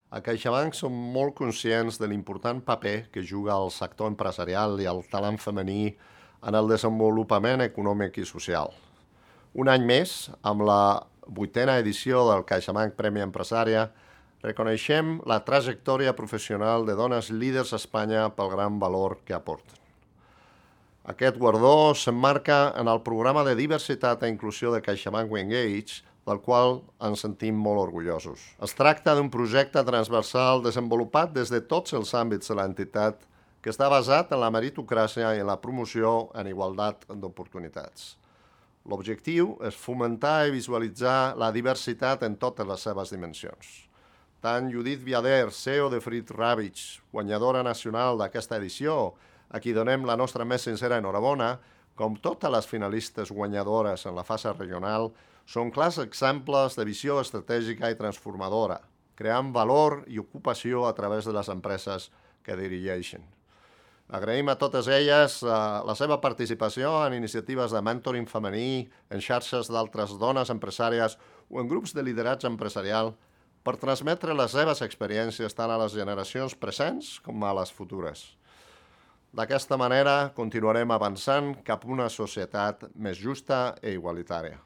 A CaixaBank som molt conscients de l'important paper que juga el sector empresarial i el talent femení en el desenvolupament econòmic i social. Un any més, amb la 8a edició del CaixaBank Premi Empresària, reconeixem la trajectòria professional de dones líders a Espanya pel gran valor que aporten. Aquest guardó s'emmarca en el programa de diversitat i inclusió de CaixaBank Engage, del qual ens sentim molt orgullosos. Es tracta d'un projecte transversal desenvolupat des de tots els àmbits de l'entitat que està basat en la meritocràcia i en la promoció en igualtat d'oportunitats. L'objectiu és fomentar i visualitzar la diversitat en totes les seves dimensions. Tant Judit Viader, CEO de Frit Ravitch, guanyadora nacional d'aquesta edició, a qui donem la nostra més sincera enhorabona, com totes les finalistes guanyadores en la fase regional, són clars exemples de visió estratègica i transformadora, creant valor i ocupació a través de les empreses que dirigeixen. Agraïm a totes elles la seva participació en iniciatives de mentoring femení, en xarxes d'altres dones empresàries o en grups de lideratge empresarial per transmetre les seves experiències tant a les generacions presents com a les futures. D'aquesta manera, continuarem avançant cap a una societat més justa i igualitària.